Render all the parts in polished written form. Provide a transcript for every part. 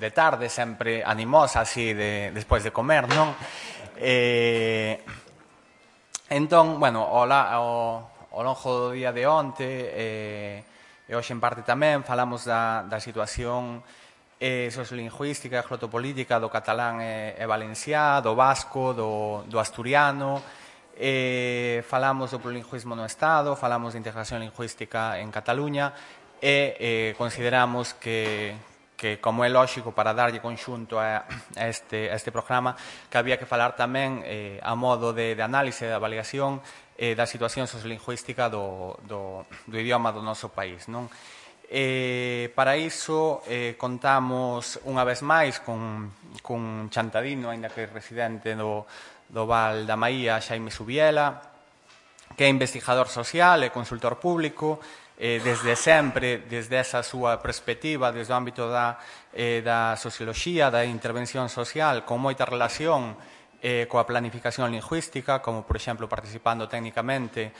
de tarde, sempre animosa, así, despois de comer, non? Entón, bueno, ao longo do día de onte, e hoxe en parte tamén, falamos da situación sociolingüística e glotopolítica do catalán e valenciá, do vasco, do asturiano. Falamos do plurilingüismo no Estado, falamos de integración lingüística en Cataluña e consideramos que como é lógico para darlle conxunto a este programa, que había que falar tamén a modo de análise, de avaliación da situación sociolingüística do idioma do noso país, non? Para iso contamos unha vez máis cun Chantadino, aínda que residente do Val da Maía, Xaime Subiela, que é investigador social e consultor público, desde sempre, desde esa súa perspectiva, desde o ámbito da socioloxía, da intervención social, con moita relación coa planificación lingüística, como, por exemplo, participando técnicamente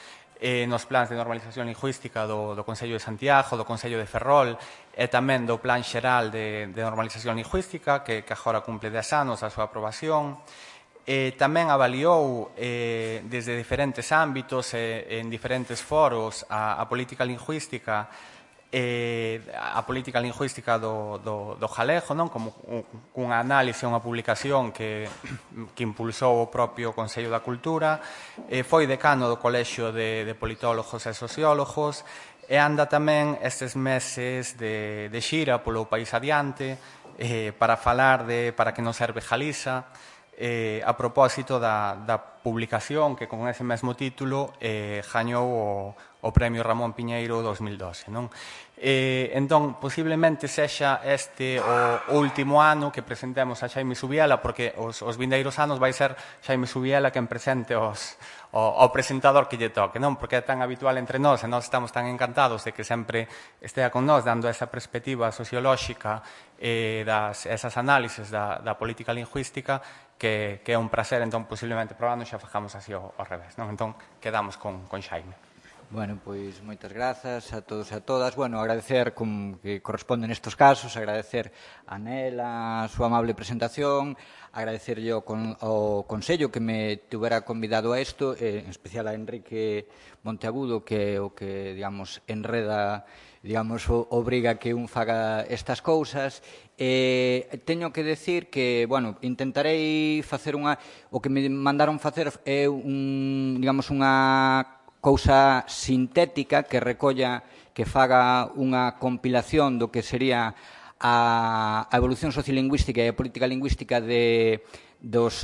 nos plans de normalización lingüística do Concello de Santiago, do Concello de Ferrol e tamén do Plan Xeral de Normalización Lingüística, que agora cumple 10 anos a súa aprobación. Tamén avaliou desde diferentes ámbitos e en diferentes foros a política lingüística do galego, non? Como unha análise, unha publicación que impulsou o propio Consello da Cultura, foi decano do Colexio de Politólogos e Sociólogos e anda tamén estes meses de xira polo país adiante para falar de Para que non serve Galiza, a propósito da publicación que con ese mesmo título gañou o Premio Ramón Piñeiro 2012, non? Entón, posiblemente sexa este o último ano que presentemos a Xaime Subiela, porque os vindeiros anos vai ser Xaime Subiela quen presente o presentador que lle toque, non? Porque é tan habitual entre nós e nós estamos tan encantados de que sempre estea con nós dando esa perspectiva sociolóxica esas análises da política lingüística que é un prazer, entón posiblemente probando xa facamos así ao revés, non? Entón quedamos con Xaime. Bueno, pois moitas grazas a todos e a todas. Bueno, agradecer, como que corresponde nestes casos, agradecer a Nela a súa amable presentación, agradecerlle ao Consello que me tuvera convidado a isto, en especial a Enrique Monteagudo, que é o que, digamos, enreda, digamos, obriga que un faga estas cousas. Teño que decir que, bueno, intentarei facer o que me mandaron facer é digamos, unha cousa sintética que recolla, que faga unha compilación do que sería a evolución sociolingüística e a política lingüística dos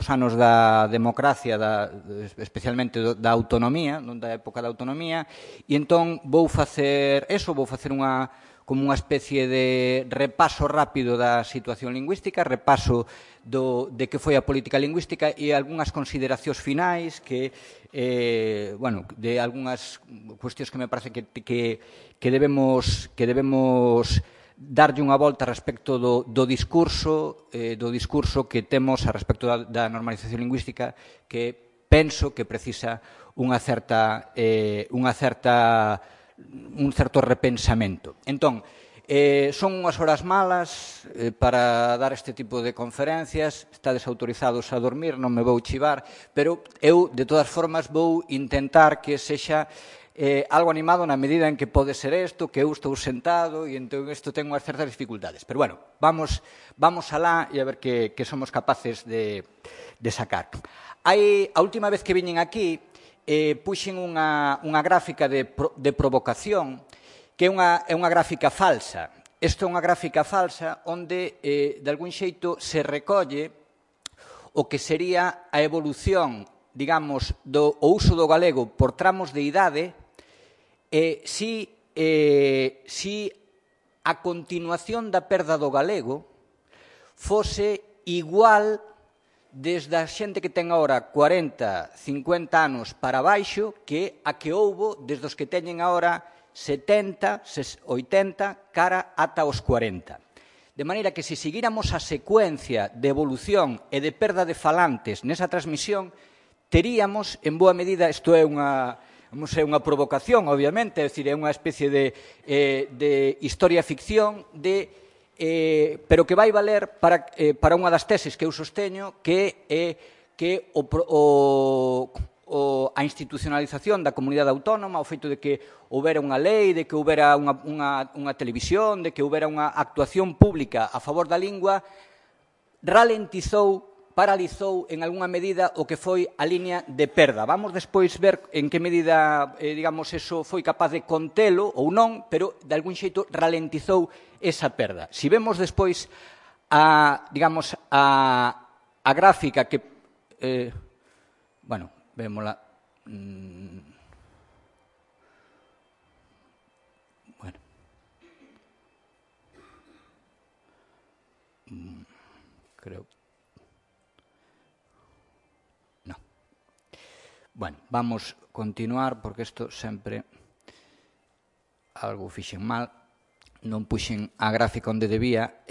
anos da democracia, especialmente da autonomía, da época da autonomía, e entón vou facer como unha especie de repaso rápido da situación lingüística, repaso de que foi a política lingüística e algunhas consideracións finais de algunhas cuestións que me parece que debemos darlle unha volta respecto do discurso que temos a respecto da normalización lingüística, que penso que precisa un certo repensamento. Entón, son unhas horas malas para dar este tipo de conferencias, estades autorizados a dormir, non me vou chivar, pero eu, de todas formas, vou intentar que sexa algo animado na medida en que pode ser isto, que eu estou sentado e entón isto ten unhas certas dificultades. Pero, bueno, vamos alá e a ver que somos capaces de sacar. A última vez que viñen aquí, puxen unha gráfica de provocación que é unha gráfica falsa. Isto é unha gráfica falsa onde, de algún xeito, se recolle o que sería a evolución, digamos, do uso do galego por tramos de idade si a continuación da perda do galego fose igual desde a xente que ten agora 40, 50 anos para baixo que a que houbo desde os que teñen agora 70, 80, cara ata os 40. De maneira que se seguíramos a secuencia de evolución e de perda de falantes nesa transmisión, teríamos, en boa medida, isto é unha provocación, obviamente, é dicir, é unha especie de historia-ficción de pero que vai valer para unha das teses que eu sosteño, que é que a institucionalización da comunidade autónoma, o feito de que houbera unha lei, de que houbera unha televisión, de que houbera unha actuación pública a favor da lingua, paralizou en algunha medida o que foi a liña de perda. Vamos despois ver en que medida, digamos, eso foi capaz de contelo ou non, pero de algún xeito ralentizou esa perda. Si vemos despois digamos, a gráfica que, bueno, vémola, bueno, creo. No. Bueno, vamos a continuar, porque isto sempre algo fixen mal, non puxen a gráfica onde debía.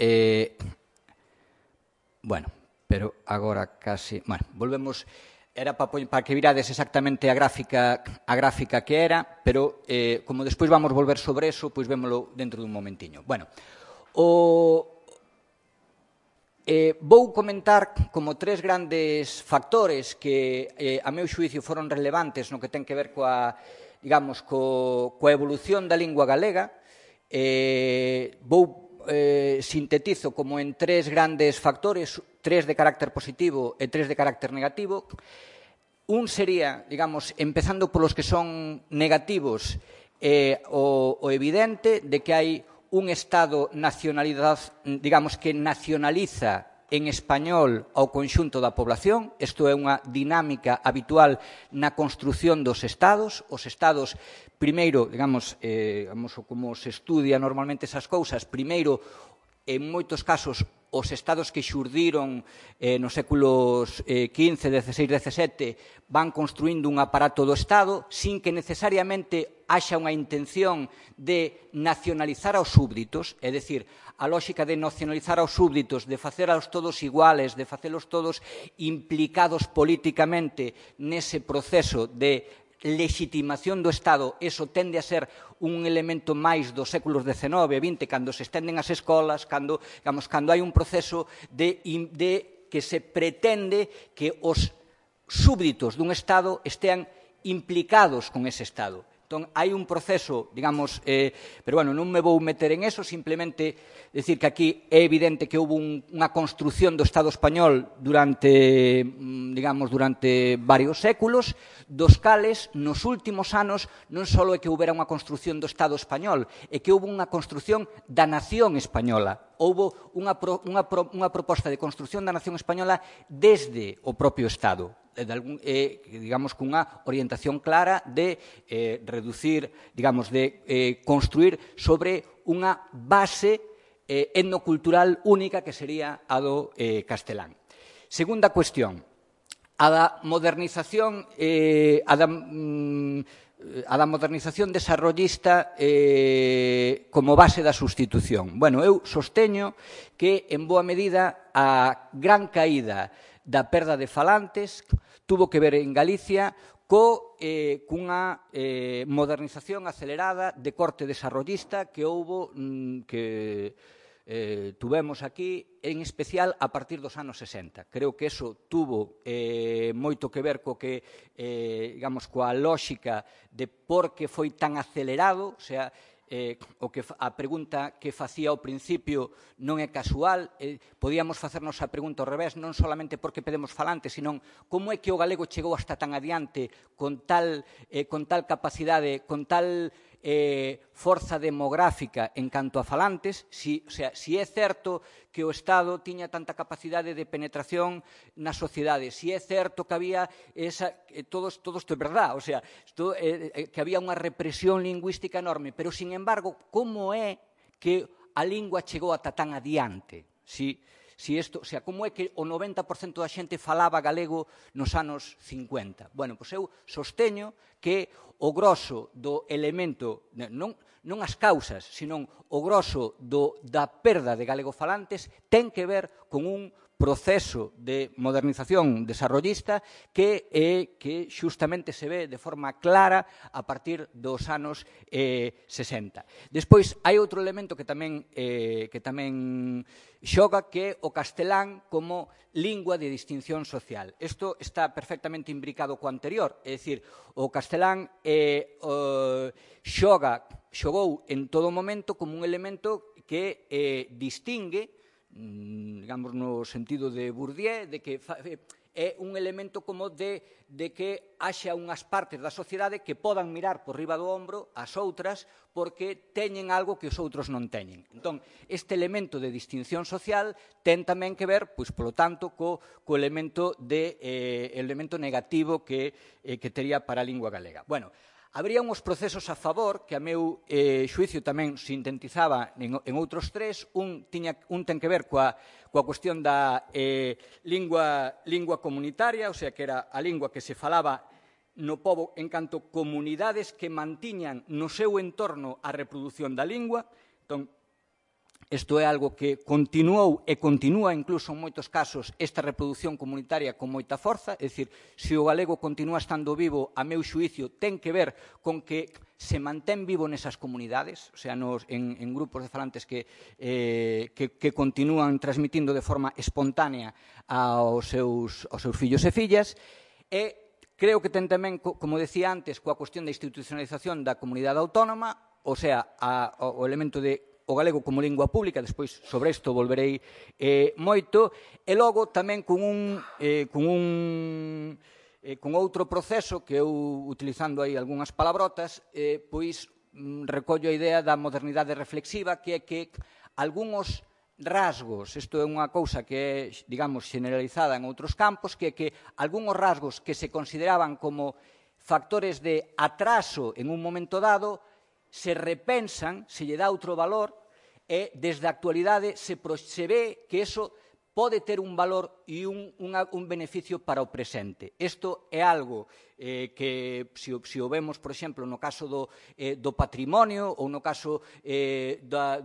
Bueno, pero agora casi... Bueno, volvemos... Era para que virades exactamente a gráfica que era, pero como despois vamos volver sobre eso, pois vémolo dentro dun momentiño. Bueno, vou comentar como tres grandes factores que, a meu xuicio, foron relevantes no que ten que ver coa evolución da lingua galega. Sintetizo como en tres grandes factores, tres de carácter positivo e tres de carácter negativo. Un sería, digamos, empezando polos que son negativos, o evidente de que hai un Estado digamos, que nacionaliza en español ao conxunto da población. Isto é unha dinámica habitual na construción dos Estados. Os Estados, primeiro, digamos, como se estudia normalmente esas cousas, primeiro, en moitos casos, os estados que xurdiron nos séculos XV, XVI, XVII van construindo un aparato do Estado sin que necesariamente haxa unha intención de nacionalizar aos súbditos, é dicir, a lógica de nacionalizar aos súbditos, de facelos todos iguales, de facelos todos implicados políticamente nese proceso de legitimación do Estado, eso tende a ser un elemento máis dos séculos XIX e XX, cando se estenden as escolas, cando hai un proceso de que se pretende que os súbditos dun Estado estean implicados con ese Estado. Entón, hai un proceso, digamos, pero, bueno, non me vou meter en eso, simplemente decir que aquí é evidente que houve unha construción do Estado español durante varios séculos, dos cales, nos últimos anos, non só é que houbera unha construción do Estado español, é que houve unha construción da nación española. Houve unha proposta de construción da nación española desde o propio Estado, digamos, cunha orientación clara de reducir, digamos, de construir sobre unha base etnocultural única que sería a do castelán. Segunda cuestión, a da modernización desarrollista como base da sustitución. Bueno, eu sosteño que, en boa medida, a gran caída da perda de falantes tuvo que ver en Galicia cunha modernización acelerada de corte desarrollista que houbo, que tuvemos aquí, en especial a partir dos anos 60. Creo que eso tuvo moito que ver digamos, coa lógica de por que foi tan acelerado, o sea, a pregunta que facía ao principio non é casual, podíamos facernos a pregunta ao revés, non solamente porque pedemos falantes, sino como é que o galego chegou hasta tan adiante con tal capacidade, con tal forza demográfica en canto a falantes, si é certo que o Estado tiña tanta capacidade de penetración na sociedade, si é certo que había todo isto é verdad, o sea, que había unha represión lingüística enorme, pero, sin embargo, como é que a lingua chegou ata tan adiante? Como é que o 90% da xente falaba galego nos anos 50? Bueno, pois eu sosteño que o grosso do elemento, non as causas, sino o grosso da perda de galegofalantes ten que ver con un proceso de modernización desarrollista que xustamente se ve de forma clara a partir dos anos 60. Despois, hai outro elemento que tamén xoga, que é o castelán como lingua de distinción social. Isto está perfectamente imbricado co anterior, é dicir, o castelán xogou en todo momento como un elemento que distingue, digamos, no sentido de Bourdieu, de que é un elemento como de que haxa unhas partes da sociedade que podan mirar por riba do ombro as outras porque teñen algo que os outros non teñen. Entón, este elemento de distinción social ten tamén que ver, pois, polo tanto, co elemento negativo que tería para a lingua galega. Bueno, habría uns procesos a favor que, a meu xuicio, tamén sintetizaba en outros tres. Un ten que ver coa cuestión da lingua comunitaria, o sea, que era a lingua que se falaba no pobo en canto comunidades que mantiñan no seu entorno a reprodución da lingua. Entón, isto é algo que continuou e continúa incluso en moitos casos esta reproducción comunitaria con moita forza, é dicir, se o galego continúa estando vivo, a meu xuicio, ten que ver con que se mantén vivo nesas comunidades, o sea, en grupos de falantes que continúan transmitindo de forma espontánea aos seus fillos e fillas, e creo que ten tamén, como decía antes, coa cuestión da institucionalización da comunidade autónoma, o sea, o elemento de o galego como lingua pública, despois sobre isto volverei moito, e logo tamén con outro proceso que eu, utilizando aí algunhas palabrotas, pois recollo a idea da modernidade reflexiva, que é que algúns rasgos, isto é unha cousa que é, digamos, generalizada en outros campos, que é que algúns rasgos que se consideraban como factores de atraso en un momento dado se repensan, se lle dá outro valor e desde a actualidade se ve que eso pode ter un valor e un beneficio para o presente. Isto é algo que, se o vemos, por exemplo, no caso do patrimonio ou no caso da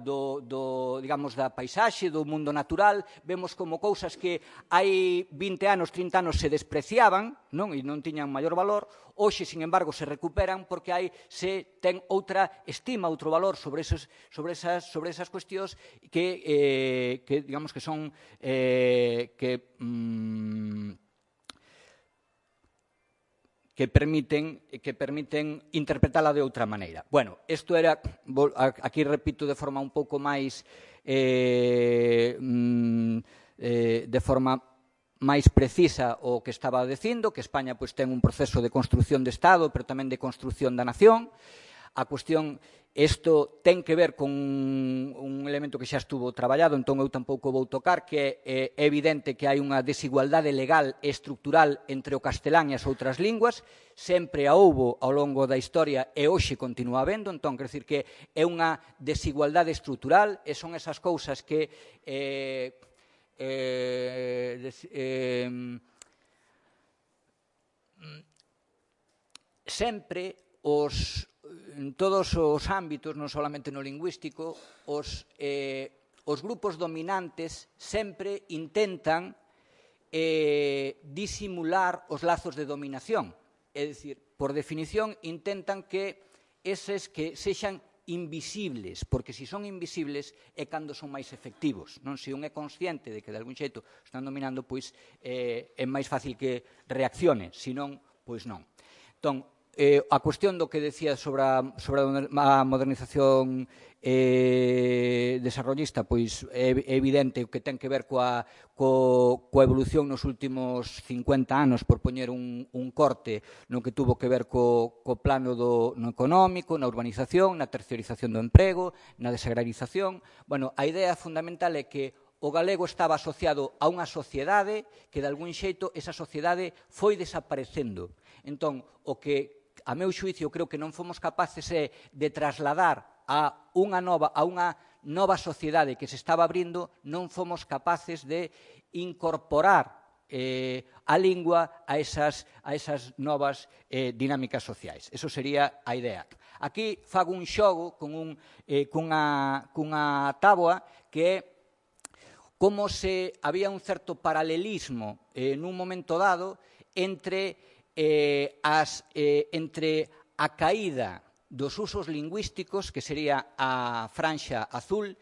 paisaxe, do mundo natural, vemos como cousas que hai 20 anos, 30 anos se despreciaban e non tiñan maior valor, hoxe, sin embargo, se recuperan porque se ten outra estima, outro valor sobre esas cuestións que digamos que son que permiten interpretala de outra maneira. Bueno, isto era, aquí repito de forma un pouco máis de forma máis precisa o que estaba dicindo, que España pois ten un proceso de construción de Estado, pero tamén de construción da nación. A cuestión, isto ten que ver con un elemento que xa estuvo traballado, entón eu tampouco vou tocar, que é evidente que hai unha desigualdade legal e estructural entre o castelán e as outras linguas, sempre a houbo ao longo da historia e hoxe continúa habendo, entón, quer dizer que é unha desigualdade estructural e son esas cousas que sempre en todos os ámbitos, non solamente no lingüístico, os grupos dominantes sempre intentan disimular os lazos de dominación. É dicir, por definición, intentan que eses que sexan invisibles, porque se son invisibles é cando son máis efectivos. Se un é consciente de que de algún xeito están dominando, pois é máis fácil que reaccione, senón, pois non. Entón, a cuestión do que decía sobre a modernización desarrollista, pois é evidente que ten que ver coa evolución nos últimos 50 anos, por poñer un corte no que tuvo que ver co plano no económico, na urbanización, na terciarización do emprego, na desagrarización. Bueno, a idea fundamental é que o galego estaba asociado a unha sociedade que, de algún xeito, esa sociedade foi desaparecendo. Entón, o que a meu xuicio, creo que non fomos capaces de trasladar a unha nova sociedade que se estaba abrindo, non fomos capaces de incorporar a lingua a esas novas dinámicas sociais. Eso sería a idea. Aquí fago un xogo cunha táboa que é como se había un certo paralelismo nun momento dado entre a caída dos usos lingüísticos, que sería a franxa azul,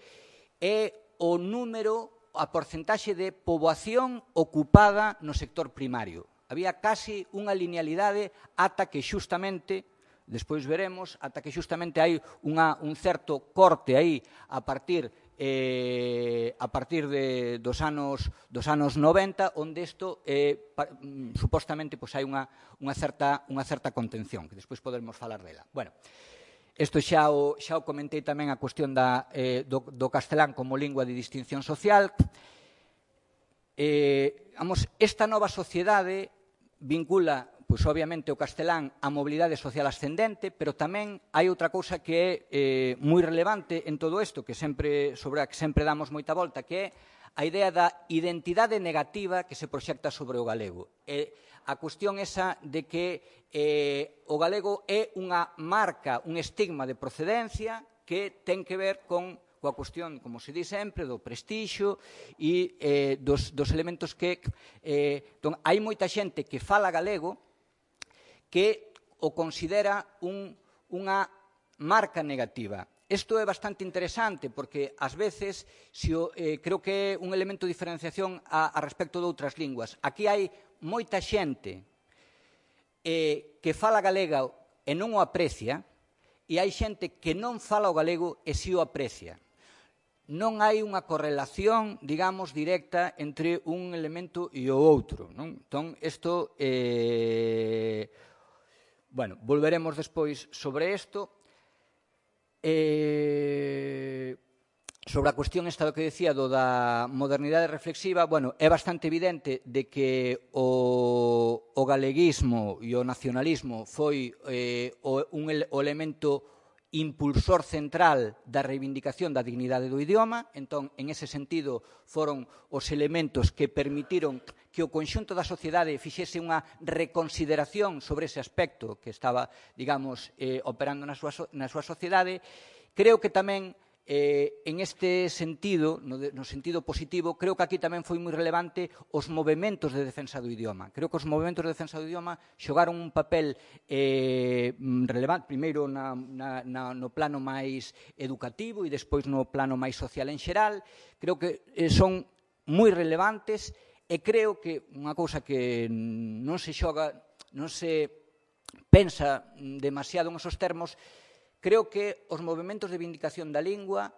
e o número, a porcentaxe de poboación ocupada no sector primario. Había casi unha linealidade ata que xustamente, despois veremos, ata que xustamente hai un certo corte aí a partir dos anos 90, onde isto supostamente hai unha certa contención, que despois poderemos falar dela. Bueno, isto xa o comentei tamén a cuestión do castelán como lingua de distinción social. Esta nova sociedade vincula, pois obviamente, o castelán á mobilidade social ascendente, pero tamén hai outra cousa que é moi relevante en todo isto, sobre a que sempre damos moita volta, que é a idea da identidade negativa que se proxecta sobre o galego. A cuestión esa de que o galego é unha marca, un estigma de procedencia que ten que ver coa cuestión, como se di sempre, do prestixio e dos elementos que... Hai moita xente que fala galego que o considera unha marca negativa. Isto é bastante interesante porque, ás veces, creo que é un elemento de diferenciación a respecto de outras linguas. Aquí hai moita xente que fala galego e non o aprecia, e hai xente que non fala o galego e si o aprecia. Non hai unha correlación, digamos, directa entre un elemento e o outro. Entón, isto... Bueno, volveremos despois sobre isto. Sobre a cuestión esta do que decía da modernidade reflexiva, bueno, é bastante evidente de que o galeguismo e o nacionalismo foi o elemento impulsor central da reivindicación da dignidade do idioma. Entón, en ese sentido, foron os elementos que permitiron que o conxunto da sociedade fixese unha reconsideración sobre ese aspecto que estaba, digamos, operando na súa sociedade. Creo que tamén, en este sentido, no sentido positivo, creo que aquí tamén foi moi relevante os movementos de defensa do idioma. Creo que os movementos de defensa do idioma xogaron un papel relevante, primeiro no plano máis educativo e despois no plano máis social en xeral. Creo que son moi relevantes e creo que unha cousa que non se xoga, non se pensa demasiado en esos termos. Creo que os movementos de vindicación da lingua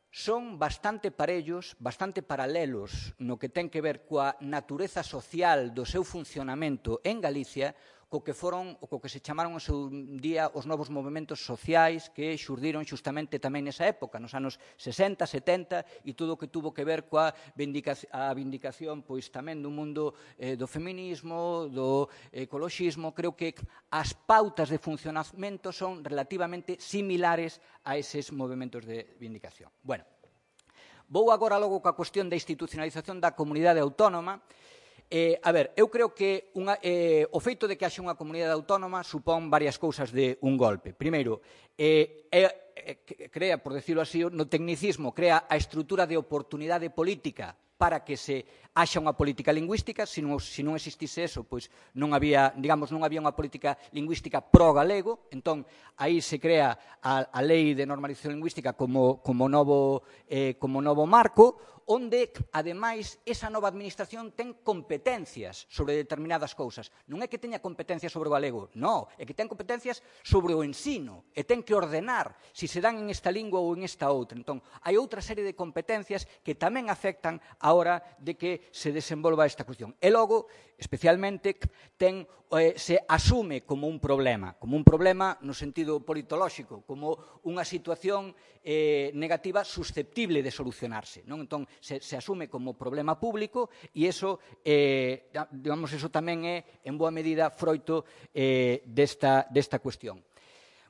son bastante parellos, bastante paralelos no que ten que ver coa natureza social do seu funcionamento en Galicia, co que se chamaron o seu día os novos movementos sociais que xurdiron xustamente tamén nesa época, nos anos 60, 70, e todo o que tuvo que ver coa vindicación pois tamén do mundo do feminismo, do ecoloxismo. Creo que as pautas de funcionamento son relativamente similares a eses movementos de vindicación. Bueno, vou agora logo coa cuestión da institucionalización da comunidade autónoma. Eu creo que o feito de que haxe unha comunidade autónoma supón varias cousas de un golpe. Primeiro, crea, por decirlo así, no tecnicismo, crea a estrutura de oportunidade política para que se haxa unha política lingüística. Se non existise eso, pois non había unha política lingüística pro-galego. Entón, aí se crea a Lei de Normalización Lingüística como novo marco, onde, ademais, esa nova administración ten competencias sobre determinadas cousas. Non é que teña competencias sobre o galego, non, é que ten competencias sobre o ensino e ten que ordenar se se dan en esta lingua ou en esta outra. Entón, hai outra serie de competencias que tamén afectan a hora de que se desenvolva esta cuestión. E logo, especialmente, se asume como un problema no sentido politolóxico, como unha situación negativa susceptible de solucionarse. Entón, se asume como problema público e eso tamén é, en boa medida, froito desta cuestión.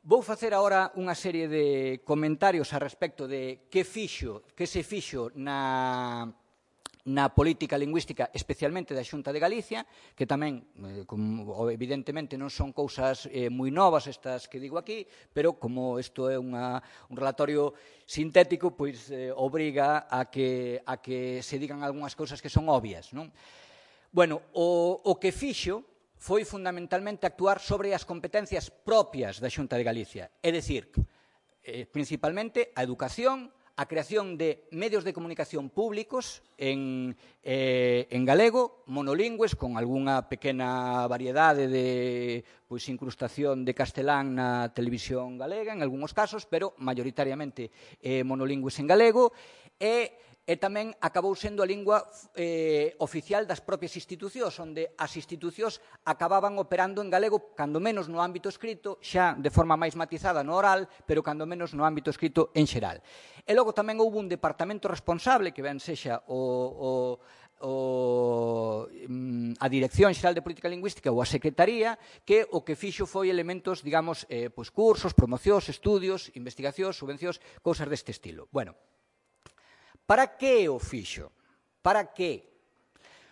Vou facer agora unha serie de comentarios a respecto de que se fixo na política lingüística, especialmente da Xunta de Galicia, que tamén, evidentemente, non son cousas moi novas estas que digo aquí, pero como isto é un relatorio sintético, pois obriga a que se digan algunhas cousas que son obvias, non? Bueno, o que fixo foi fundamentalmente actuar sobre as competencias propias da Xunta de Galicia, é dicir, principalmente a educación, a creación de medios de comunicación públicos en galego, monolingües, con algunha pequena variedade de incrustación de castelán na televisión galega, en algúns casos, pero maioritariamente monolingües en galego, e tamén acabou sendo a lingua oficial das propias institucións, onde as institucións acababan operando en galego, cando menos no ámbito escrito, xa de forma máis matizada no oral, pero cando menos no ámbito escrito en xeral. E logo tamén houve un departamento responsable, que ben sexa a Dirección Xeral de Política Lingüística ou a Secretaría, que o que fixo foi elementos, digamos, cursos, promocións, estudios, investigacións, subvencións, cousas deste estilo. Bueno, para que o fixo? Para que?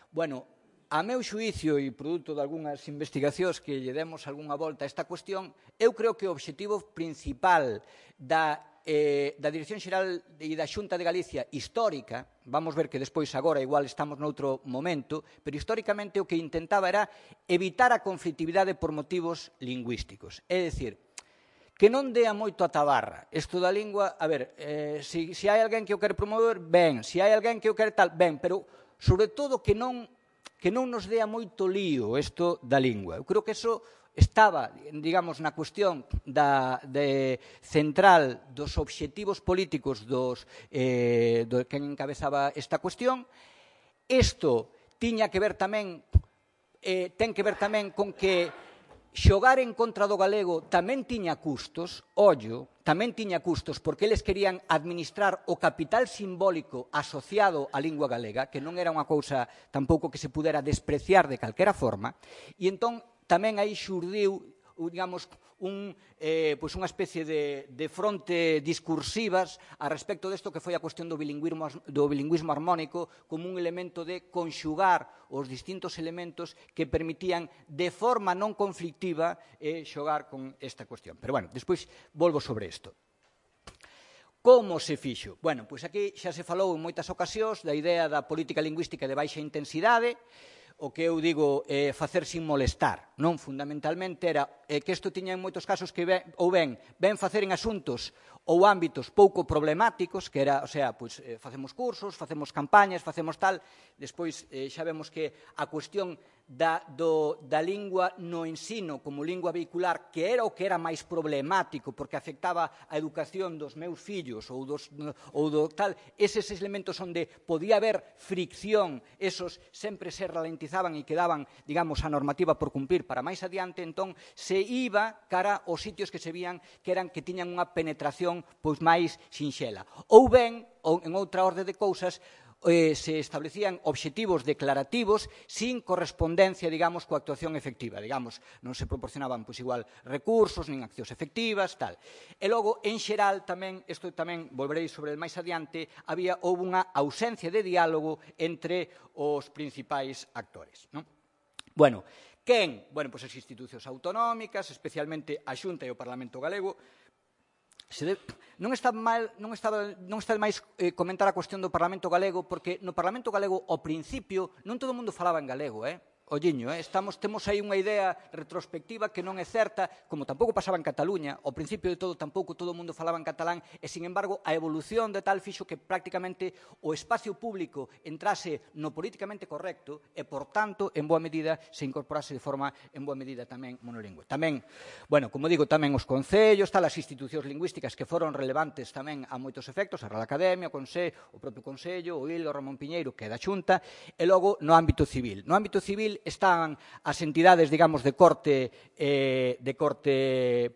Bueno, a meu xuicio e produto de algunhas investigacións que lle demos algunha volta a esta cuestión, eu creo que o obxectivo principal da Dirección Xeral e da Xunta de Galicia histórica, vamos ver que despois agora igual estamos noutro momento, pero históricamente o que intentaba era evitar a conflitividade por motivos lingüísticos. É dicir, que non dea moito a tabarra. Isto da lingua, a ver, se hai alguén que o quere promover, ben. Se hai alguén que o quere tal, ben. Pero, sobre todo, que non nos dea moito lío isto da lingua. Eu creo que iso estaba, digamos, na cuestión central dos obxectivos políticos do que encabezaba esta cuestión. Isto tiña que ver tamén, ten que ver tamén con que xogar en contra do galego tamén tiña custos, ollo, tamén tiña custos, porque eles querían administrar o capital simbólico asociado á lingua galega, que non era unha cousa tampouco que se pudera despreciar de calquera forma, e entón tamén aí xurdiu, digamos, unha especie de fronte discursivas a respecto desto que foi a cuestión do bilingüismo armónico como un elemento de conxugar os distintos elementos que permitían de forma non conflictiva xogar con esta cuestión. Pero, bueno, despois volvo sobre isto. Como se fixo? Bueno, pois aquí xa se falou en moitas ocasións da idea da política lingüística de baixa intensidade, o que eu digo facer sin molestar, non? Fundamentalmente era que isto tiña en moitos casos que ben facer en asuntos ou ámbitos pouco problemáticos, que era, o sea, facemos cursos, facemos campañas, facemos tal, despois xa vemos que a cuestión da lingua no ensino como lingua vehicular, que era o que era máis problemático, porque afectaba a educación dos meus fillos ou do tal, eses elementos onde podía haber fricción, esos sempre se ralentizaban e quedaban, digamos, a normativa por cumplir para máis adiante, entón se iba cara aos sitios que se vían que tiñan unha penetración máis sinxela. Ou ben, en outra orde de cousas, se establecían obxectivos declarativos sin correspondencia, digamos, coa actuación efectiva. Digamos, non se proporcionaban, igual, recursos, nin accións efectivas, tal. E logo, en xeral, tamén, isto tamén volverei sobre máis adiante, houve unha ausencia de diálogo entre os principais actores. Bueno, quen? Bueno, pois as institucións autonómicas, especialmente a Xunta e o Parlamento Galego. Non está de máis comentar a cuestión do Parlamento Galego, porque no Parlamento Galego, ao principio, non todo o mundo falaba en galego, olliño, temos aí unha idea retrospectiva que non é certa, como tampouco pasaba en Cataluña, ao principio de todo tampouco todo o mundo falaba en catalán, e, sin embargo, a evolución de tal fixo que prácticamente o espacio público entrase no políticamente correcto e, por tanto, en boa medida, se incorporase de forma, en boa medida, tamén monolingüe. Tamén, bueno, como digo, tamén os concellos, as institucións lingüísticas que foron relevantes tamén a moitos efectos, a Real Academia, o propio Consello, o IL, o Ramón Piñeiro, que é da Xunta, e logo no ámbito civil. No ámbito civil están as entidades, digamos, de corte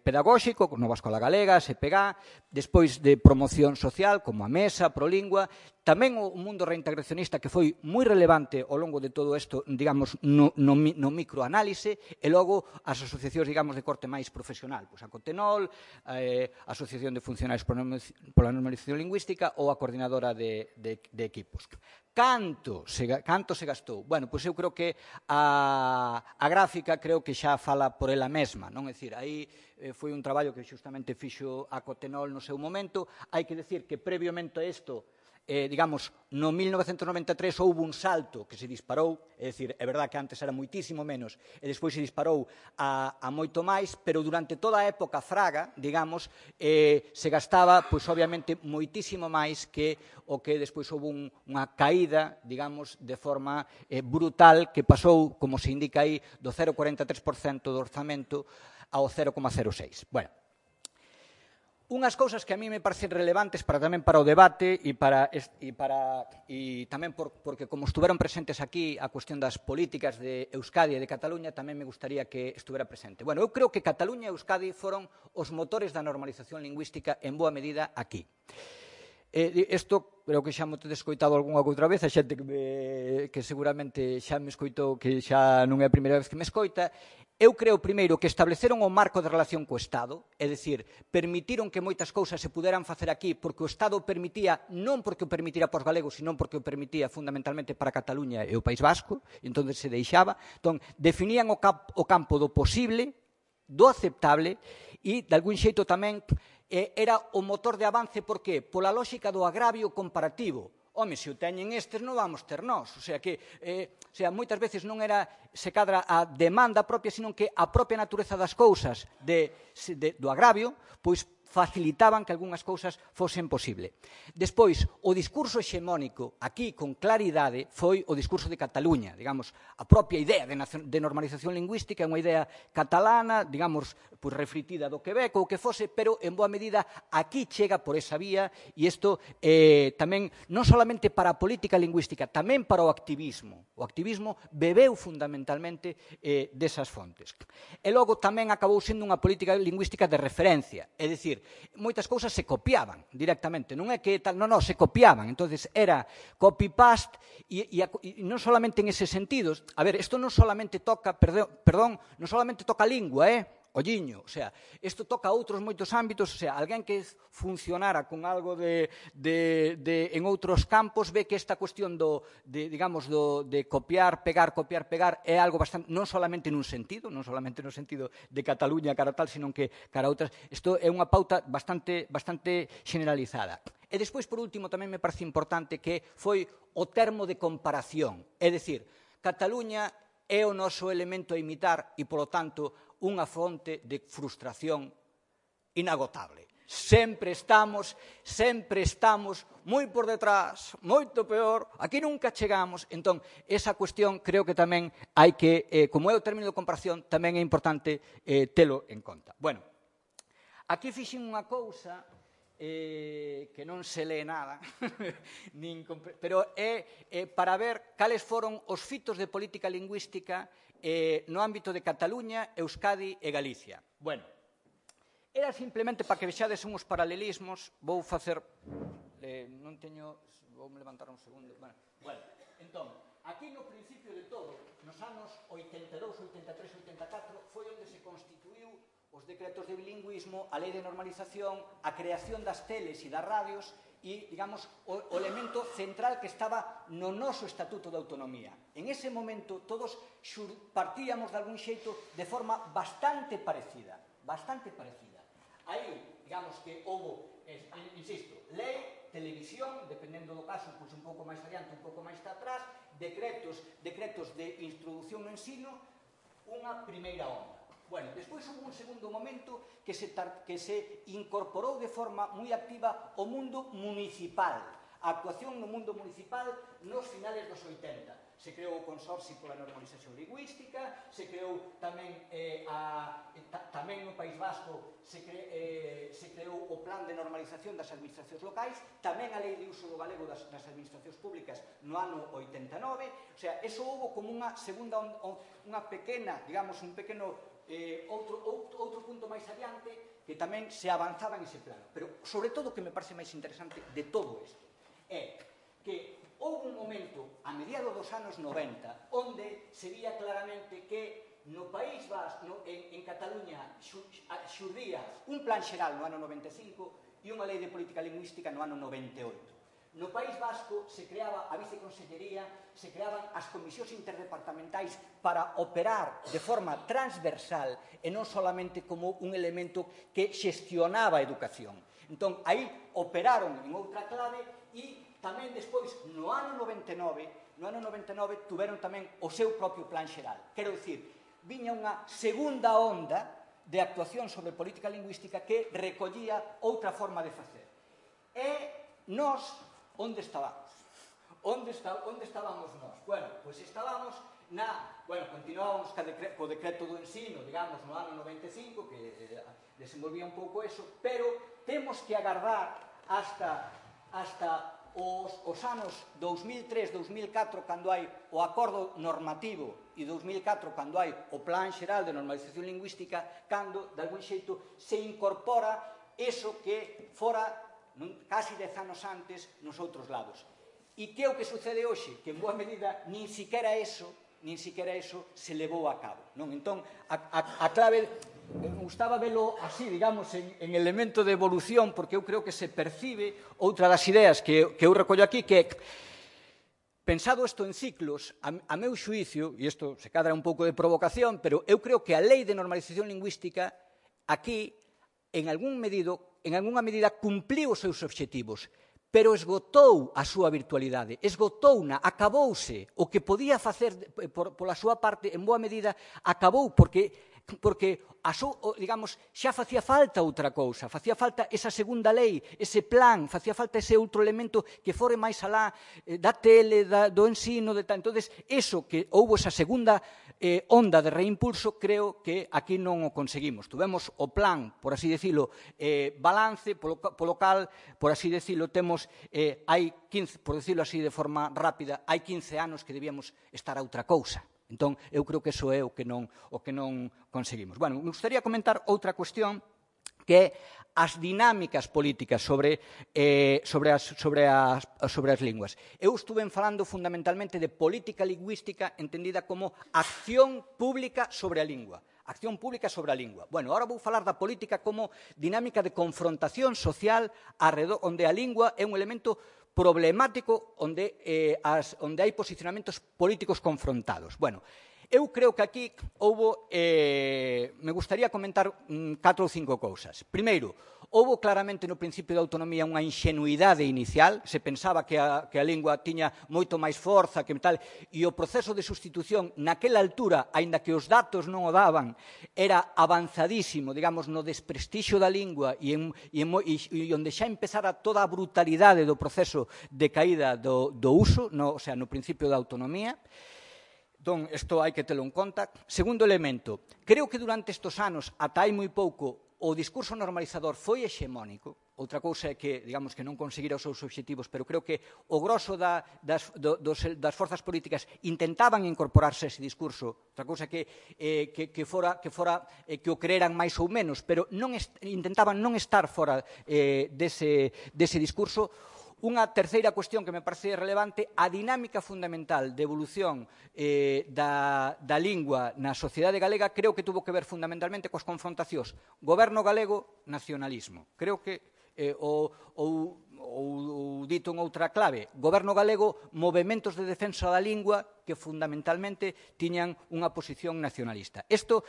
pedagóxico, Nova Escola Galega, SPG, despois de promoción social, como a Mesa, Prolingua, tamén o mundo reintegracionista, que foi moi relevante ao longo de todo isto, digamos, no microanálise, e logo as asociacións, digamos, de corte máis profesional, a Cotenol, a Asociación de Funcionarios pola Normalización Lingüística ou a Coordinadora de Equipos. Canto se gastou? Bueno, pois eu creo que a gráfica creo que xa fala por ela mesma, non? É dicir, aí foi un traballo que xustamente fixo a Cotenol no seu momento. Hai que decir que previamente a isto, digamos, no 1993 houve un salto que se disparou, é dicir, é verdad que antes era moitísimo menos e despois se disparou a moito máis, pero durante toda a época Fraga, digamos, se gastaba, pois obviamente, moitísimo máis que o que despois houve unha caída, digamos, de forma brutal que pasou, como se indica aí, do 0,43% do orzamento ao 0,06%. Bueno, unhas cousas que a mí me parecen relevantes tamén para o debate e tamén porque como estuveron presentes aquí a cuestión das políticas de Euskadi e de Cataluña, tamén me gustaría que estuvera presente. Bueno, eu creo que Cataluña e Euskadi foron os motores da normalización lingüística en boa medida aquí. Isto creo que xa me tedes escoitado algunha outra vez, a xente que seguramente xa me escoitou, que xa non é a primeira vez que me escoita. Eu creo, primeiro, que estableceron o marco de relación co Estado, é dicir, permitiron que moitas cousas se puderan facer aquí porque o Estado permitía, non porque o permitira para os galegos, sino porque o permitía fundamentalmente para Cataluña e o País Vasco, e entón se deixaba. Entón, definían o campo do posible, do aceptable, e, de algún xeito tamén, era o motor de avance, por qué? Pola lógica do agravio comparativo. Home, se o teñen estes, non vamos ter nós. O sea, que moitas veces non era se cadra a demanda propia, sino que a propia natureza das cousas do agravio, pois facilitaban que algunhas cousas fosen posible. Despois, o discurso hexemónico aquí, con claridade, foi o discurso de Cataluña. Digamos, a propia idea de normalización lingüística é unha idea catalana, digamos, pues refritida do Quebec ou o que fose, pero en boa medida aquí chega por esa vía e isto tamén non solamente para a política lingüística, tamén para o activismo. O activismo bebeu fundamentalmente desas fontes. E logo tamén acabou sendo unha política lingüística de referencia, é dicir, moitas cousas se copiaban directamente, non é que tal, non, se copiaban, entonces era copy-paste e non solamente en ese sentido, a ver, isto non solamente toca, perdón, non solamente toca a lingua, olliño, o sea, isto toca outros moitos ámbitos, o sea, alguén que funcionara con algo en outros campos ve que esta cuestión de copiar, pegar é algo bastante, non solamente nun sentido, non solamente no sentido de Cataluña cara tal, sino que cara outras, isto é unha pauta bastante generalizada. E despois, por último, tamén me parece importante que foi o termo de comparación, é dicir, Cataluña é o noso elemento a imitar e, polo tanto, unha fonte de frustración inagotable. Sempre estamos moi por detrás, moito peor, aquí nunca chegamos. Entón, esa cuestión creo que tamén hai que, como é o término de comparación, tamén é importante telo en conta. Bueno, aquí fixen unha cousa que non se lee nada, pero é para ver cales foron os fitos de política lingüística no ámbito de Cataluña, Euskadi e Galicia. Bueno, era simplemente para que vexades uns paralelismos, vou facer, non teño, vou me levantar un segundo, bueno, entón, aquí no principio de todo, nos anos 82, 83, 84, foi onde se constituiu os decretos de bilingüismo, a lei de normalización, a creación das teles e das radios e, digamos, o elemento central que estaba no noso Estatuto de Autonomía. En ese momento, todos partíamos de algún xeito de forma bastante parecida. Aí, digamos que houve, insisto, lei, televisión, dependendo do caso, pois un pouco máis adiante, un pouco máis atrás, decretos de introducción no ensino, unha primeira onda. Bueno, despois houve un segundo momento que se incorporou de forma moi activa o mundo municipal, a actuación no mundo municipal nos finales dos 80. Se creou o Consorcio pola Normalización Lingüística, se creou tamén no País Vasco se creou o Plan de Normalización das Administracións Locais, tamén a Lei de Uso do Galego das Administracións Públicas no ano 89, o sea, eso houve como unha segunda, unha pequena, digamos, un pequeno outro punto máis adiante que tamén se avanzaba en ese plano. Pero, sobre todo, o que me parece máis interesante de todo isto é que houve un momento, a mediados dos anos 90, onde se vía claramente que no País Vasco, en Cataluña, xurdía un plan xeral no ano 95 e unha lei de política lingüística no ano 98. No País Vasco se creaba a viceconsellería, se creaban as comisións interdepartamentais para operar de forma transversal e non solamente como un elemento que xestionaba a educación. Entón, aí operaron en outra clave e tamén despois, no ano 99, tuveron tamén o seu propio plan xeral. Quero dicir, viña unha segunda onda de actuación sobre política lingüística que recollía outra forma de facer. E nós, onde estábamos? Onde estábamos nós? Bueno, pois estábamos continuábamos co decreto do ensino, digamos, no ano 95, que desenvolvía un pouco eso, pero temos que agardar hasta os anos 2003-2004, cando hai o acordo normativo, e 2004, cando hai o Plan Xeral de Normalización Lingüística, cando, de algún xeito, se incorpora eso que fora casi 10 anos antes nos outros lados. E que é o que sucede hoxe? Que en boa medida nin siquiera eso se levou a cabo. Entón, a clave, me gustaba velo así, digamos, en elemento de evolución, porque eu creo que se percibe outra das ideas que eu recollo aquí, que pensado isto en ciclos, a meu xuicio, e isto se cadra un pouco de provocación, pero eu creo que a Lei de Normalización Lingüística aquí, en algunha medida, cumpliu os seus obxectivos, pero esgotou a súa virtualidade, esgotouna, acabouse. O que podía facer pola súa parte, en boa medida, acabou, porque digamos, xa facía falta outra cousa, facía falta esa segunda lei, ese plan, facía falta ese outro elemento que fore máis alá da tele, do ensino, entonces, eso que houbo esa segunda onda de reimpulso, creo que aquí non o conseguimos. Tuvemos o plan, por así decirlo, balance, polo cal, por así decirlo, temos, hai 15, por decirlo así de forma rápida, hai 15 anos que debíamos estar a outra cousa. Entón, eu creo que eso é o que non conseguimos. Bueno, me gustaría comentar outra cuestión que é as dinámicas políticas sobre as linguas. Eu estuve falando fundamentalmente de política lingüística entendida como acción pública sobre a lingua. Acción pública sobre a lingua. Bueno, ahora vou falar da política como dinámica de confrontación social onde a lingua é un elemento problemático onde hai posicionamentos políticos confrontados. Bueno, eu creo que aquí me gustaría comentar 4 ou 5 cousas. Primeiro, houbo claramente no principio da autonomía unha inxenuidade inicial, se pensaba que a lingua tiña moito máis forza que tal, e o proceso de sustitución naquela altura, aínda que os datos non o daban, era avanzadísimo, digamos, no desprestixio da lingua e onde xa empezara toda a brutalidade do proceso de caída do uso, o sea, no principio da autonomía. Entón, isto hai que telo en conta. Segundo elemento, creo que durante estes anos, ata hai moi pouco, o discurso normalizador foi hexemónico. Outra cousa é que, digamos, que non conseguira os seus obxectivos, pero creo que o grosso das forzas políticas intentaban incorporarse a ese discurso. Outra cousa que o creeran máis ou menos, pero intentaban non estar fora dese discurso. Unha terceira cuestión que me parece relevante, a dinámica fundamental de evolución da lingua na sociedade galega creo que tuvo que ver fundamentalmente coas confrontacións goberno galego, nacionalismo. Creo que ou dito en outra clave, goberno galego, movementos de defensa da lingua que fundamentalmente tiñan unha posición nacionalista. Isto,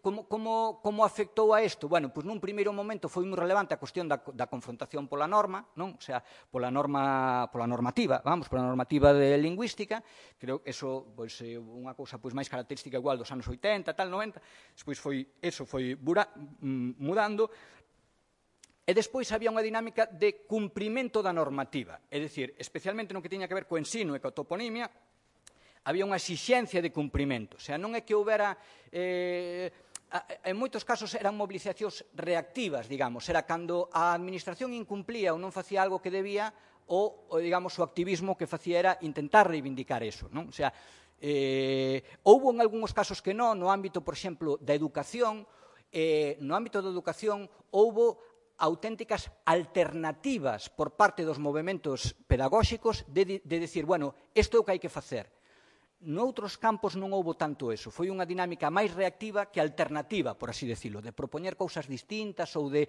como afectou a isto? Bueno, pois nun primeiro momento foi moi relevante a cuestión da confrontación pola norma, non? O sea, pola normativa de lingüística. Creo que eso é unha cousa máis característica igual dos anos 80, tal, 90. Despois eso foi mudando. E despois había unha dinámica de cumprimento da normativa, é dicir, especialmente no que tiña que ver co ensino e coa toponimia, había unha exixencia de cumprimento. O sea, non é que houbera... En moitos casos eran movilizacións reactivas, digamos. Era cando a administración incumplía ou non facía algo que debía, ou, digamos, o activismo que facía era intentar reivindicar eso, non? O sea, houbo en algúns casos que non, no ámbito, por exemplo, da educación, houbo auténticas alternativas por parte dos movementos pedagóxicos de decir, bueno, isto é o que hai que facer. Noutros campos non houbo tanto eso. Foi unha dinámica máis reactiva que alternativa, por así decirlo, de propoñer cousas distintas ou de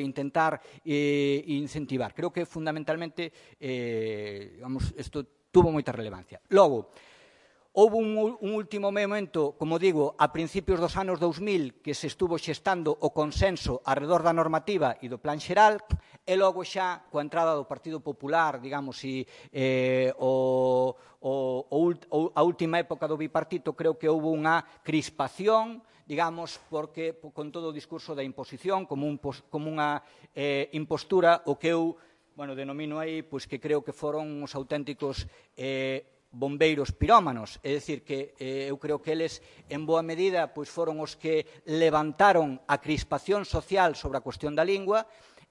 intentar incentivar. Creo que fundamentalmente isto tuvo moita relevancia. Logo, houve un último momento, como digo, a principios dos anos 2000 que se estuvo xestando o consenso arredor da normativa e do plan xeral, e logo xa, coa entrada do Partido Popular, digamos, a última época do bipartito, creo que houve unha crispación, digamos, porque con todo o discurso da imposición, como unha impostura, o que eu denomino aí, pois que creo que foron os auténticos bombeiros pirómanos, é dicir, que eu creo que eles, en boa medida, pois foron os que levantaron a crispación social sobre a cuestión da lingua,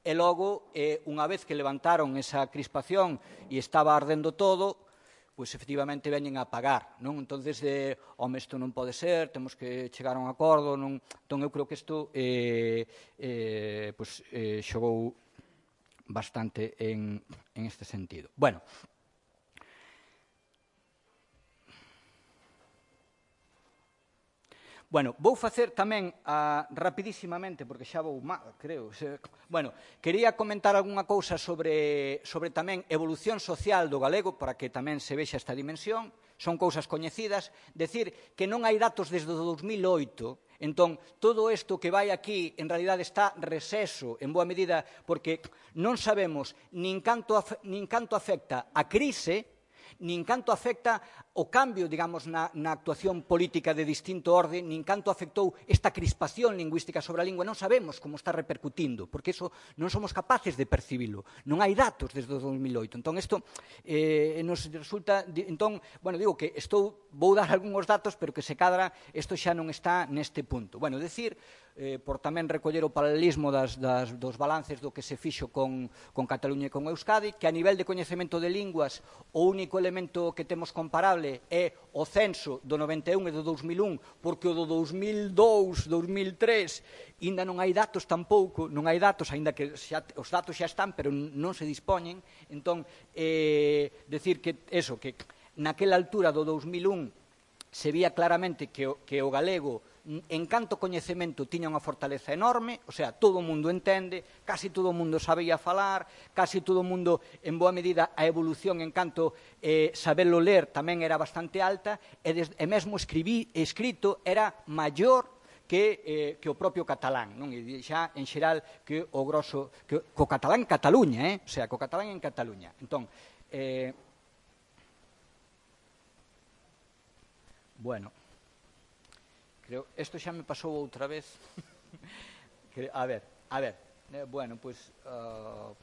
e logo, unha vez que levantaron esa crispación e estaba ardendo todo, pois efectivamente veñen a pagar, non? Entonces, home, isto non pode ser, temos que chegar a un acordo, non? Entón, eu creo que isto xogou bastante en este sentido. Bueno, vou facer tamén rapidísimamente, porque xa vou mal, creo. Quería comentar algunha cousa sobre tamén evolución social do galego, para que tamén se vexa esta dimensión. Son cousas coñecidas. Decir que non hai datos desde o 2008, entón, todo isto que vai aquí, en realidad, está reseso, en boa medida, porque non sabemos nin canto afecta a crise, nin canto afecta o cambio, digamos, na actuación política de distinto orde, nin canto afectou esta crispación lingüística sobre a lingua, non sabemos como está repercutindo, porque iso non somos capaces de percibilo. Non hai datos desde o 2008. Entón, isto nos resulta... Entón, digo que vou dar algúns datos, pero que se cadra, isto xa non está neste punto. Decir, por tamén recoller o paralelismo dos balances do que se fixo con Cataluña e con Euskadi, que a nivel de coñecemento de linguas, o único elemento que temos comparable é o censo do 91 e do 2001, porque o do 2002, 2003, ainda non hai datos tampouco, non hai datos, ainda que os datos xa están, pero non se dispoñen. Entón, decir que naquela altura do 2001 se vía claramente que o galego, en canto coñecemento, tiña unha fortaleza enorme, o sea, todo o mundo entende, casi todo o mundo sabía falar, casi todo o mundo, en boa medida, a evolución en canto sabelo ler tamén era bastante alta, e mesmo escrito era maior que o propio catalán, non? E xa, en xeral, que o grosso, co catalán en Cataluña, o sea, co catalán en Cataluña. Entón, creo, isto xa me pasou outra vez. A ver,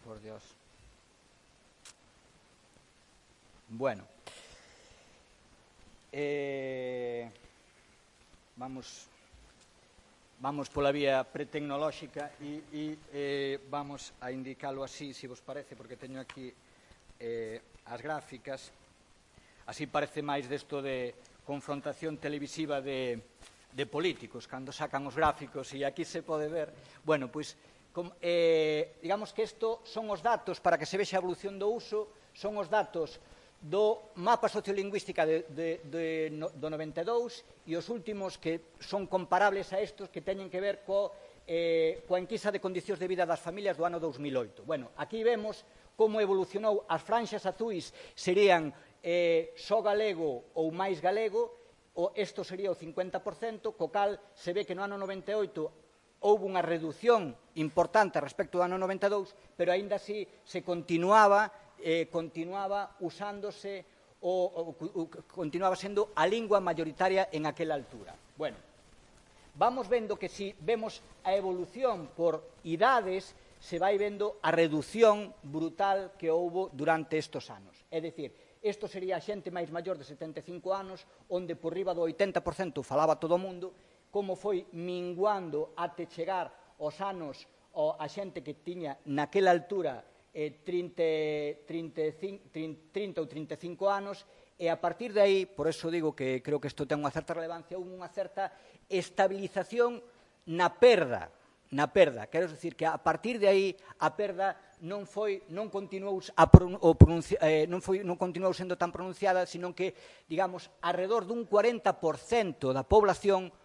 por Dios. Vamos pola vía pretecnolóxica e vamos a indicalo así, se vos parece, porque teño aquí as gráficas. Así parece máis desto de confrontación televisiva de políticos, cando sacan os gráficos, e aquí se pode ver, digamos que isto son os datos, para que se vexa a evolución do uso, son os datos do mapa sociolingüística do 92 e os últimos que son comparables a estos, que teñen que ver coa enquisa de condicións de vida das familias do ano 2008. Aquí vemos como evolucionou. As franxas azuis serían só galego ou máis galego, isto sería o 50%, co cal se ve que no ano 98 houve unha reducción importante respecto do ano 92, pero aínda así se continuaba usándose, continuaba sendo a lingua mayoritaria en aquela altura. Vamos vendo que se vemos a evolución por idades, se vai vendo a reducción brutal que houve durante estes anos. É dicir, isto sería a xente máis maior de 75 anos, onde por riba do 80% falaba todo o mundo, como foi minguando até chegar aos anos a xente que tiña naquela altura 30 ou 35 anos, e a partir de aí, por eso digo que creo que isto ten unha certa relevancia, unha certa estabilización na perda na perda. Quero dicir que a partir de aí a perda non continuou sendo tan pronunciada, sino que, digamos, alrededor dun 40% da población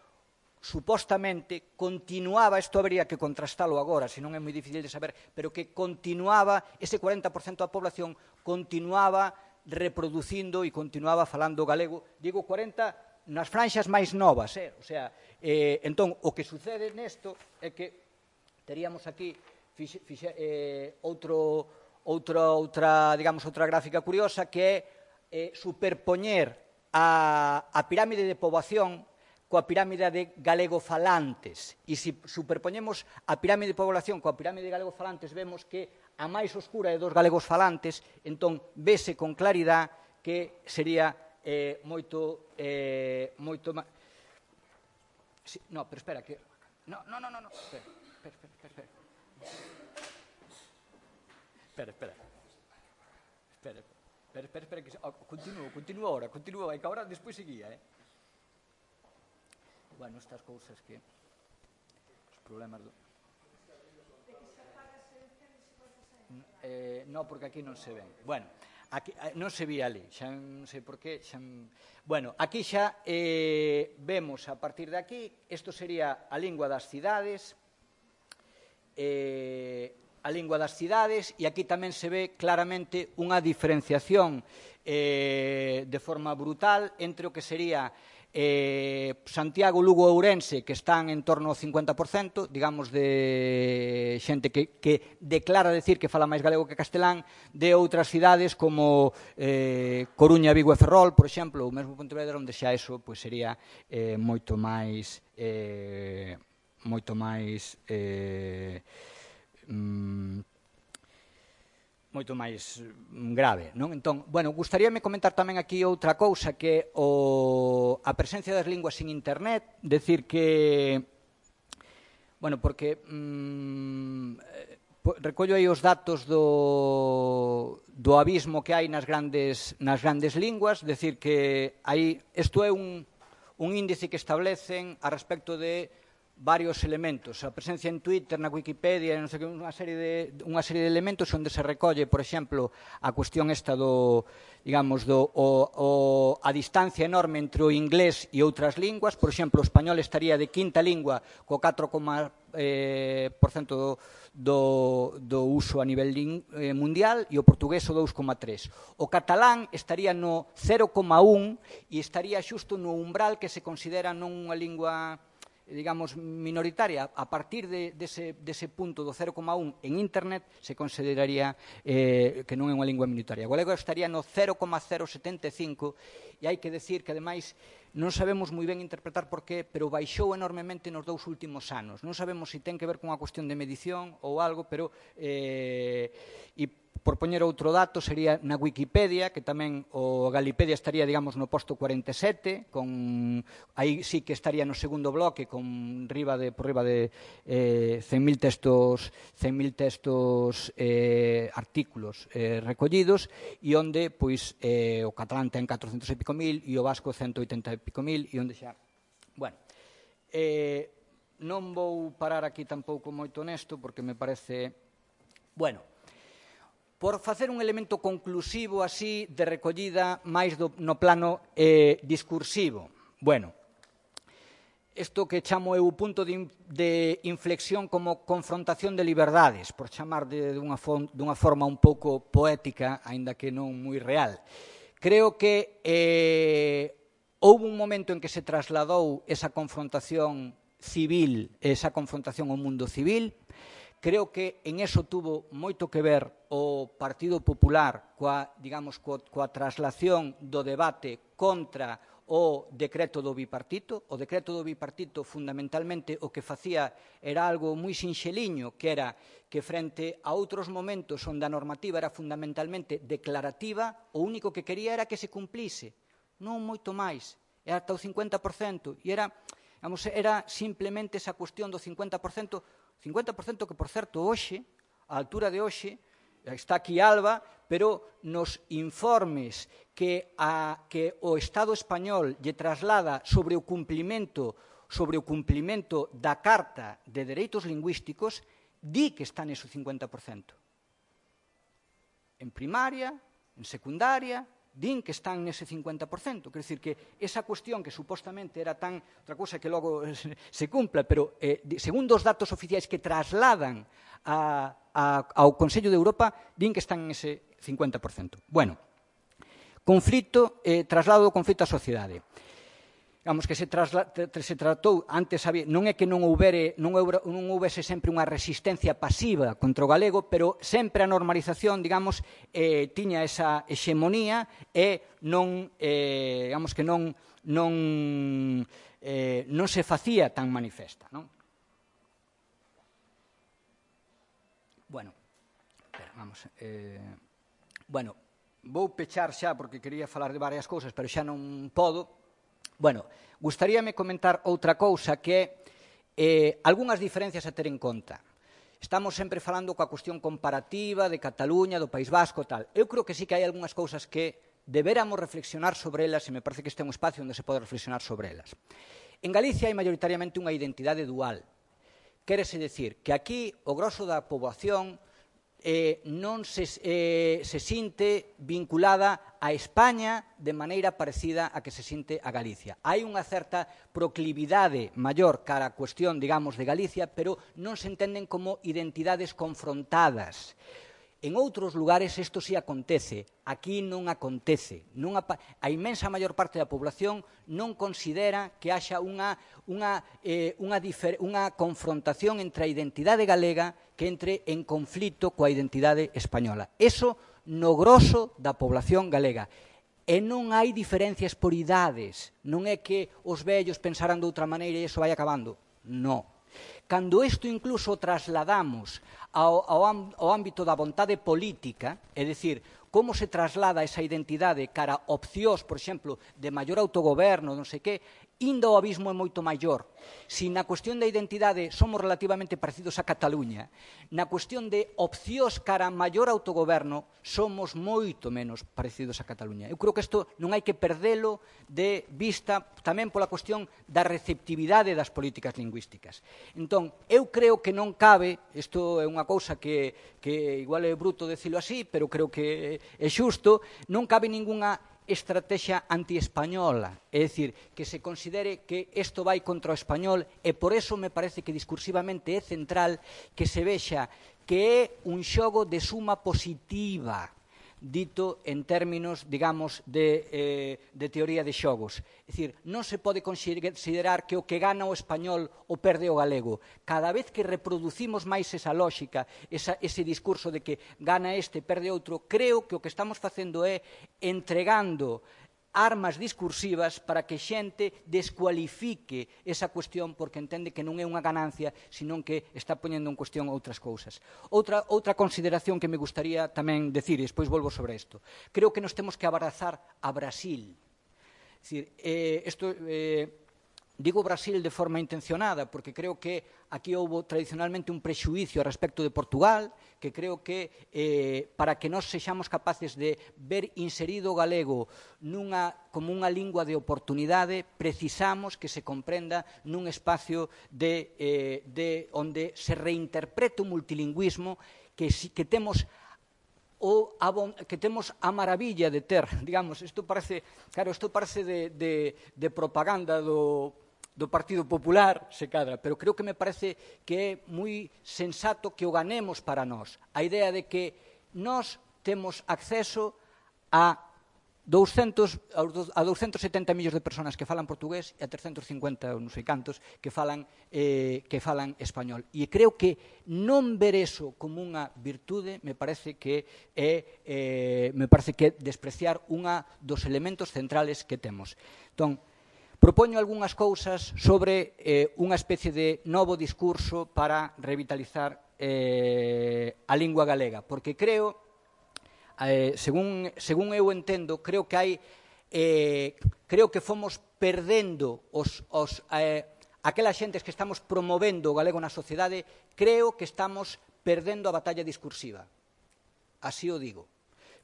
supostamente continuaba, isto habría que contrastalo agora, senón é moi difícil de saber, pero que continuaba, ese 40% da población continuaba reproducindo e continuaba falando galego. Digo 40 nas franxas máis novas, o sea, entón, o que sucede nesto é que teríamos aquí outra gráfica curiosa que é superpoñer a pirámide de poboación coa pirámide de galegofalantes. E se superpoñemos a pirámide de población coa pirámide de galegofalantes, vemos que a máis oscura é dos galegofalantes, entón vese con claridade que sería moito máis... No, pero espera, que... No, espera, que... Continúo ahora, é que agora despois seguía, Bueno, estas cousas que... Os problemas do... No, porque aquí non se ven. Bueno, aquí, non se vía ali, xa non sei por qué. Bueno, aquí xa vemos a partir de aquí, isto sería a lingua das cidades, e aquí tamén se ve claramente unha diferenciación de forma brutal entre o que sería Santiago, Lugo e Ourense, que están en torno ao 50%, digamos, de xente que declara decir que fala máis galego que castelán, de outras cidades como Coruña, Vigo e Ferrol, por exemplo, ou mesmo Pontevedra, onde xa eso sería moito máis grave, non? Entón, bueno, gustaríame comentar tamén aquí outra cousa que é a presencia das linguas en internet, decir que, bueno, porque recollo aí os datos do abismo que hai nas grandes linguas, decir que aí, isto é un índice que establecen a respecto de varios elementos, a presencia en Twitter, na Wikipedia, non sei que, unha serie de elementos onde se recolle, por exemplo, a cuestión esta a distancia enorme entre o inglés e outras linguas. Por exemplo, o español estaría de quinta lingua co 4% do uso a nivel mundial e o portugués o 2,3%. O catalán estaría no 0,1% e estaría xusto no umbral que se considera non unha lingua, digamos, minoritaria. A partir dese punto do 0,1 en internet se consideraría que non é unha lingua minoritaria. O galego estaría no 0,075 e hai que decir que, ademais, non sabemos moi ben interpretar por qué, pero baixou enormemente nos 2 últimos anos. Non sabemos se ten que ver con unha cuestión de medición ou algo, pero... Por poñer outro dato, sería na Wikipedia, que tamén o Galipedia estaría, digamos, no posto 47, aí sí que estaría no segundo bloque, por riba de 100.000 textos, artículos recollidos, e onde, pois, o catalán ten 400 e pico mil, e o vasco 180 e pico mil, e onde xa... Bueno, non vou parar aquí tampouco moito nesto, porque me parece... Bueno, por facer un elemento conclusivo así de recollida máis no plano discursivo. Bueno, isto que chamo eu o punto de inflexión como confrontación de liberdades, por chamar dunha forma un pouco poética, aínda que non moi real. Creo que houve un momento en que se trasladou esa confrontación civil, esa confrontación ao mundo civil. Creo que en eso tuvo moito que ver o Partido Popular coa traslación do debate contra o decreto do bipartito. O decreto do bipartito, fundamentalmente, o que facía era algo moi sinxeliño, que era que frente a outros momentos onde a normativa era fundamentalmente declarativa, o único que quería era que se cumplise, non moito máis, era ata o 50%, e era simplemente esa cuestión do 50%, que, por certo, hoxe, a altura de hoxe, está aquí Alba, pero nos informes que o Estado español lle traslada sobre o cumplimento sobre o cumplimento da Carta de Dereitos Lingüísticos, di que está nese 50%. En primaria, en secundaria, din que están nese 50%. Quer dizer que esa cuestión que supostamente era tan outra cousa que logo se cumpla, pero segundo os datos oficiais que trasladan ao Consello de Europa, din que están nese 50%. Bueno, conflito, traslado do conflito á sociedade. Digamos que se tratou, antes non é que non houbese sempre unha resistencia pasiva contra o galego, pero sempre a normalización, digamos, tiña esa hexemonía e non, digamos que non se facía tan manifesta, non? Bueno, vamos, bueno, vou pechar xa porque quería falar de varias cousas, pero xa non podo. Bueno, gustaríame comentar outra cousa que é algunhas diferencias a ter en conta. Estamos sempre falando coa cuestión comparativa de Cataluña, do País Vasco, tal. Eu creo que sí que hai algunhas cousas que deberamos reflexionar sobre elas e me parece que este é un espacio onde se pode reflexionar sobre elas. En Galicia hai maioritariamente unha identidade dual. Quérese decir que aquí o grosso da poboación non se sinte vinculada a España de maneira parecida a que se sinte a Galicia. Hai unha certa proclividade maior cara a cuestión, digamos, de Galicia, pero non se entenden como identidades confrontadas. En outros lugares isto sí acontece, aquí non acontece. A inmensa maior parte da población non considera que haxa unha confrontación entre a identidade galega que entre en conflito coa identidade española. Eso no grosso da población galega. E non hai diferencias por idades. Non é que os vellos pensaran de outra maneira e iso vai acabando. Non. Cando isto incluso trasladamos ao ámbito da vontade política, é dicir, como se traslada esa identidade cara a opcións, por exemplo, de maior autogoberno, non sei que, ainda o abismo é moito maior. Si na cuestión da identidade somos relativamente parecidos a Cataluña, na cuestión de opcións cara a maior autogoberno somos moito menos parecidos a Cataluña. Eu creo que isto non hai que perdelo de vista tamén pola cuestión da receptividade das políticas lingüísticas. Entón, eu creo que non cabe, isto é unha cousa que igual é bruto decilo así, pero creo que é xusto, non cabe ningunha estrategia antiespañola, é dicir, que se considere que isto vai contra o español e por eso me parece que discursivamente é central que se vexa que é un xogo de suma positiva, dito en términos, digamos, de teoría de xogos. É dicir, non se pode considerar que o que gana o español o perde o galego. Cada vez que reproducimos máis esa lógica, ese discurso de que gana este, perde outro, creo que o que estamos facendo é entregando armas discursivas para que xente descualifique esa cuestión porque entende que non é unha ganancia, senón que está poñendo en cuestión outras cousas. Outra consideración que me gustaría tamén decir, e despois volvo sobre isto. Creo que nos temos que abrazar a Brasil. Digo Brasil de forma intencionada porque creo que aquí houve tradicionalmente un prexuízo a respecto de Portugal, que creo que para que nós sexamos capaces de ver inserido o galego como unha lingua de oportunidade, precisamos que se comprenda nun espacio onde se reinterprete o multilingüismo que temos a maravilla de ter, digamos, isto parece de propaganda do Partido Popular, se cadra, pero creo que me parece que é moi sensato que o ganemos para nós. A idea de que nós temos acceso a 270 millóns de personas que falan portugués e a 350 ou non sei cantos que falan español. E creo que non ver eso como unha virtude me parece que é despreciar unha dos elementos centrales que temos. Entón, propoño algunhas cousas sobre unha especie de novo discurso para revitalizar a lingua galega, porque creo, según eu entendo, creo que fomos perdendo aquelas xentes que estamos promovendo o galego na sociedade, creo que estamos perdendo a batalla discursiva. Así o digo.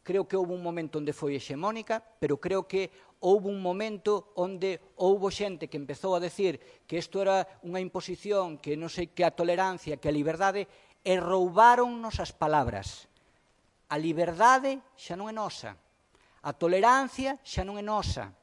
creo que houve un momento onde foi hexemónica, pero creo que houve un momento onde houve xente que empezou a decir que isto era unha imposición, que non sei que a tolerancia, que a liberdade, e roubaronnos as palabras. A liberdade xa non é nosa, a tolerancia xa non é nosa,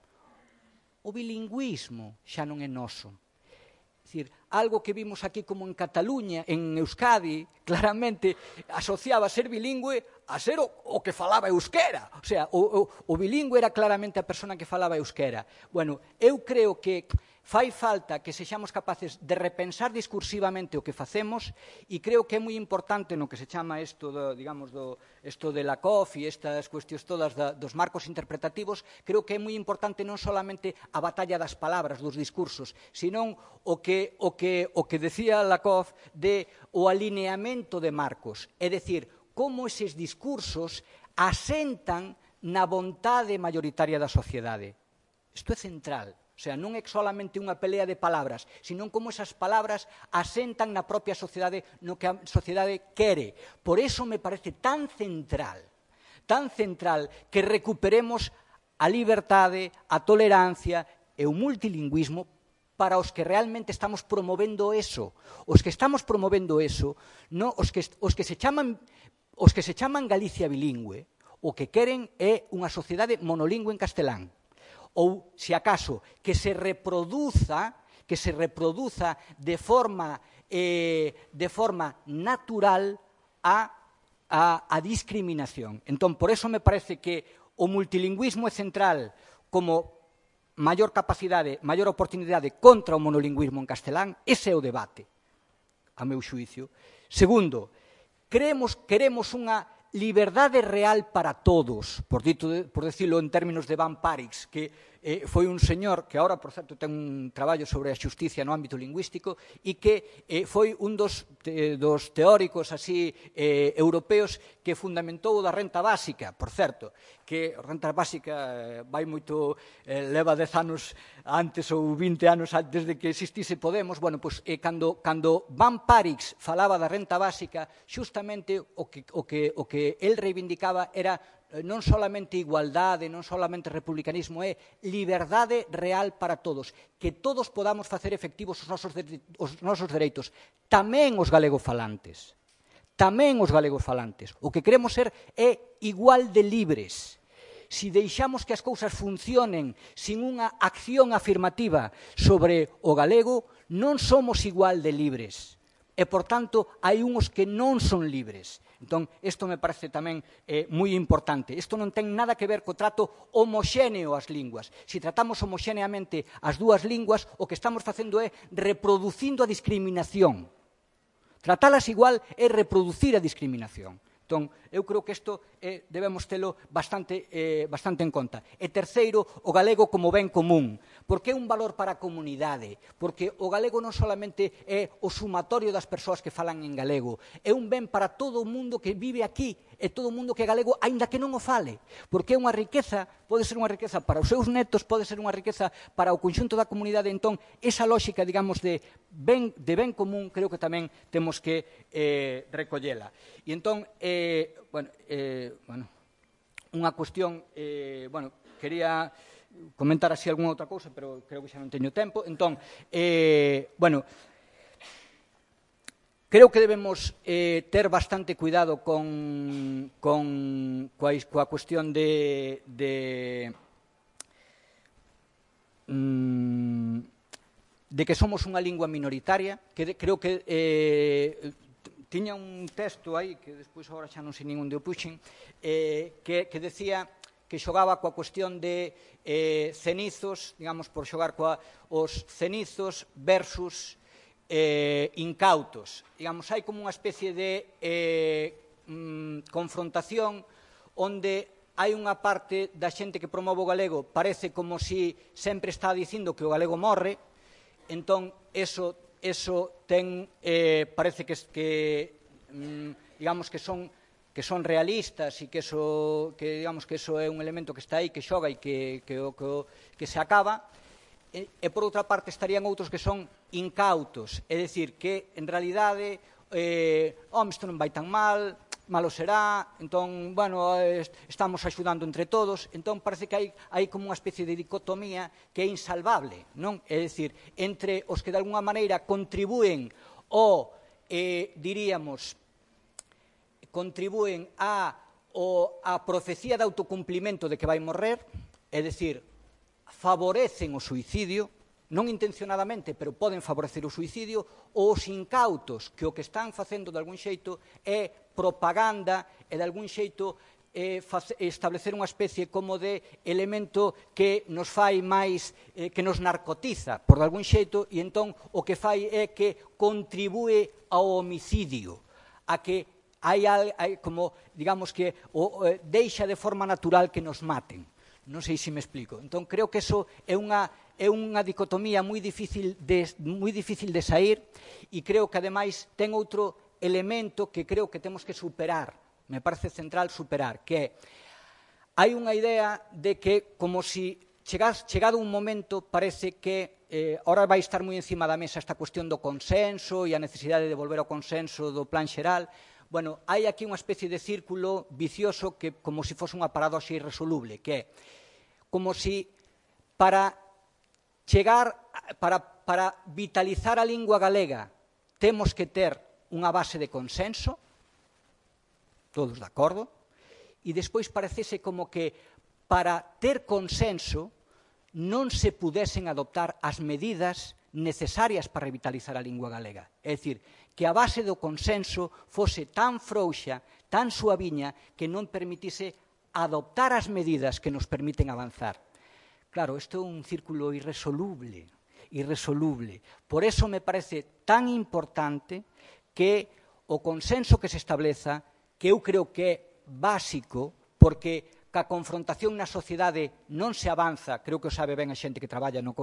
o bilingüismo xa non é noso. É dicir, algo que vimos aquí como en Cataluña, en Euskadi, claramente asociaba ser bilingüe a ser o que falaba euskera. O sea, o bilingüe era claramente a persona que falaba euskera. Bueno, eu creo que fai falta que sexamos capaces de repensar discursivamente o que facemos e creo que é moi importante no que se chama isto, digamos, isto de la COF e estas cuestións todas dos marcos interpretativos, creo que é moi importante non solamente a batalla das palabras, dos discursos, senón o que decía Lakoff de o alineamento de marcos, é dicir, como eses discursos asentan na vontade mayoritaria da sociedade. Isto é central. O sea, non é solamente unha pelea de palabras, senón como esas palabras asentan na propia sociedade, no que a sociedade quere. Por eso me parece tan central que recuperemos a liberdade, a tolerancia e o multilingüismo para os que realmente estamos promovendo eso. Os que estamos promovendo eso, no, os que se chaman Galicia bilingüe, o que queren é unha sociedade monolingüe en castelán. Ou, se acaso, que se reproduza de forma natural a discriminación. Entón, por eso me parece que o multilingüismo é central como maior capacidade, maior oportunidade contra o monolingüismo en castelán. Ese é o debate, a meu xuicio. Segundo, queremos unha liberdade real para todos, por decirlo en términos de Van Parix, que foi un señor que agora, por certo, ten un traballo sobre a xusticia no ámbito lingüístico e que foi un dos teóricos así europeos que fundamentou da renta básica, por certo, que a renta básica vai moito, leva 10 anos antes ou 20 anos antes de que existise Podemos. Bueno, pois cando Van Parix falaba da renta básica, xustamente o que el reivindicaba era non solamente igualdade, non solamente republicanismo, é liberdade real para todos, que todos podamos facer efectivos os nosos dereitos, tamén os galegofalantes. O que queremos ser é igual de libres. Si deixamos que as cousas funcionen sin unha acción afirmativa sobre o galego, non somos igual de libres. E, por tanto, hai uns que non son libres. Entón, isto me parece tamén moi importante. Isto non ten nada que ver co trato homoxéneo ás linguas. Se tratamos homoxéneamente as dúas linguas, o que estamos facendo é reproducindo a discriminación. Tratalas igual é reproducir a discriminación. Entón, eu creo que isto debemos telo bastante en conta. E terceiro, o galego como ben común. Porque é un valor para a comunidade. Porque o galego non solamente é o sumatorio das persoas que falan en galego. É un ben para todo o mundo que vive aquí e todo o mundo que é galego, aínda que non o fale. Porque é unha riqueza, pode ser unha riqueza para os seus netos, pode ser unha riqueza para o conxunto da comunidade. Entón, esa lógica, digamos, de ben común, creo que tamén temos que recollela. E entón, unha cuestión, quería comentar así algunha outra cousa, pero creo que xa non teño tempo. Entón, creo que debemos ter bastante cuidado coa cuestión de que somos unha lingua minoritaria, que creo que tiña un texto aí, que despois agora xa non sei nin onde o puxen, que decía que xogaba coa cuestión de cenizos, digamos, por xogar os cenizos versus incautos. Digamos, hai como unha especie de confrontación onde hai unha parte da xente que promove o galego, parece como si sempre está dicindo que o galego morre, entón, eso ten, parece digamos que son realistas e que digamos que eso é un elemento que está aí, que xoga e que se acaba. E por outra parte estarían outros que son incautos, é dicir, que en realidade isto non vai tan mal, malo será, entón, bueno, estamos axudando entre todos, entón parece que hai como unha especie de dicotomía que é insalvable, non? É dicir, entre os que de alguna maneira contribúen ou, diríamos, contribúen a profecía de autocumplimento de que vai morrer, é dicir, favorecen o suicidio, non intencionadamente, pero poden favorecer o suicidio, ou os incautos que o que están facendo de algún xeito é propaganda e de algún xeito establecer unha especie como de elemento que nos fai máis, que nos narcotiza, por de algún xeito, e entón o que fai é que contribúe ao homicidio, a que hai como, digamos que, deixa de forma natural que nos maten. Non sei se me explico. Entón, creo que eso é unha dicotomía moi difícil de sair e creo que, ademais, ten outro elemento que creo que temos que superar, me parece central superar, que é, hai unha idea de que, como si chegado un momento, parece que ahora vai estar moi encima da mesa esta cuestión do consenso e a necesidade de volver ao consenso do plan xeral. Bueno, hai aquí unha especie de círculo vicioso que como se fose unha paradoxa irresoluble, que é como si para vitalizar a lingua galega temos que ter unha base de consenso, todos de acordo, e despois parecese como que para ter consenso non se pudesen adoptar as medidas necesarias para revitalizar a lingua galega. É dicir, que a base do consenso fose tan frouxa, tan suaviña, que non permitise adoptar as medidas que nos permiten avanzar. Claro, isto é un círculo irresoluble. Por eso me parece tan importante que o consenso que se estableza, que eu creo que é básico, porque ca confrontación na sociedade non se avanza, creo que o sabe ben a xente que traballa nas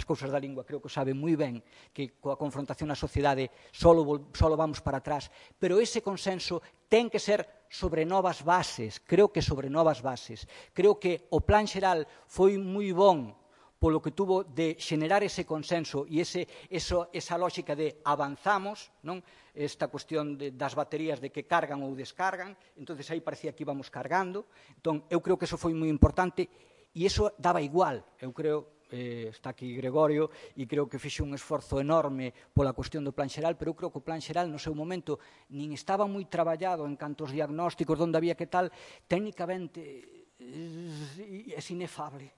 cousas da lingua, creo que o sabe moi ben, que coa confrontación na sociedade solo vamos para atrás, pero ese consenso ten que ser sobre novas bases, creo que sobre novas bases. Creo que o plan xeral foi moi bon polo que tuvo de xenerar ese consenso e esa lógica de avanzamos, non? Esta cuestión das baterías de que cargan ou descargan, entonces aí parecía que íbamos cargando. Entón, eu creo que eso foi moi importante e iso daba igual. Eu creo, está aquí Gregorio, e creo que fixe un esforzo enorme pola cuestión do plan xeral, pero eu creo que o plan xeral no seu momento nin estaba moi traballado en canto aos diagnósticos, onde había que tal, técnicamente é inefable,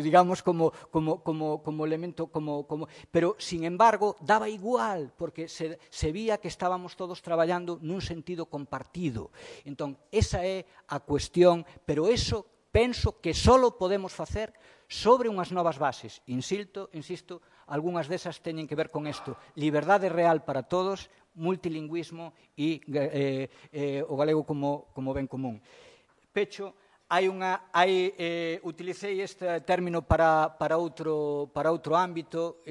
digamos, como elemento, pero, sin embargo, daba igual, porque se vía que estábamos todos traballando nun sentido compartido. Entón, esa é a cuestión, pero eso penso que só podemos facer sobre unhas novas bases. Insisto, algunhas desas teñen que ver con isto. Liberdade real para todos, multilingüismo e o galego como ben común. Pecho. Utilicei este término para outro ámbito,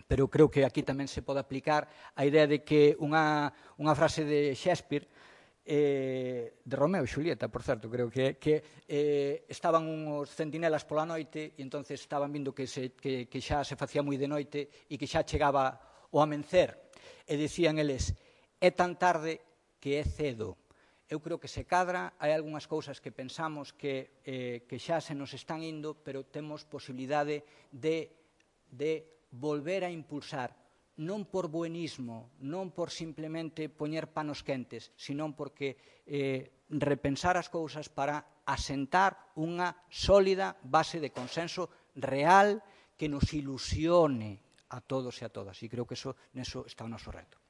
pero creo que aquí tamén se pode aplicar a idea de que unha frase de Shakespeare, de Romeo e Xulieta, por certo, creo que estaban uns centinelas pola noite e entonces estaban vindo que xa se facía moi de noite e que xa chegaba o amencer e dicían eles, é tan tarde que é cedo. Eu creo que se cadra, hai algunhas cousas que pensamos que xa se nos están indo, pero temos posibilidade de volver a impulsar, non por buenismo, non por simplemente poñer panos quentes, sino porque repensar as cousas para asentar unha sólida base de consenso real que nos ilusione a todos e a todas. E creo que neso está o noso reto.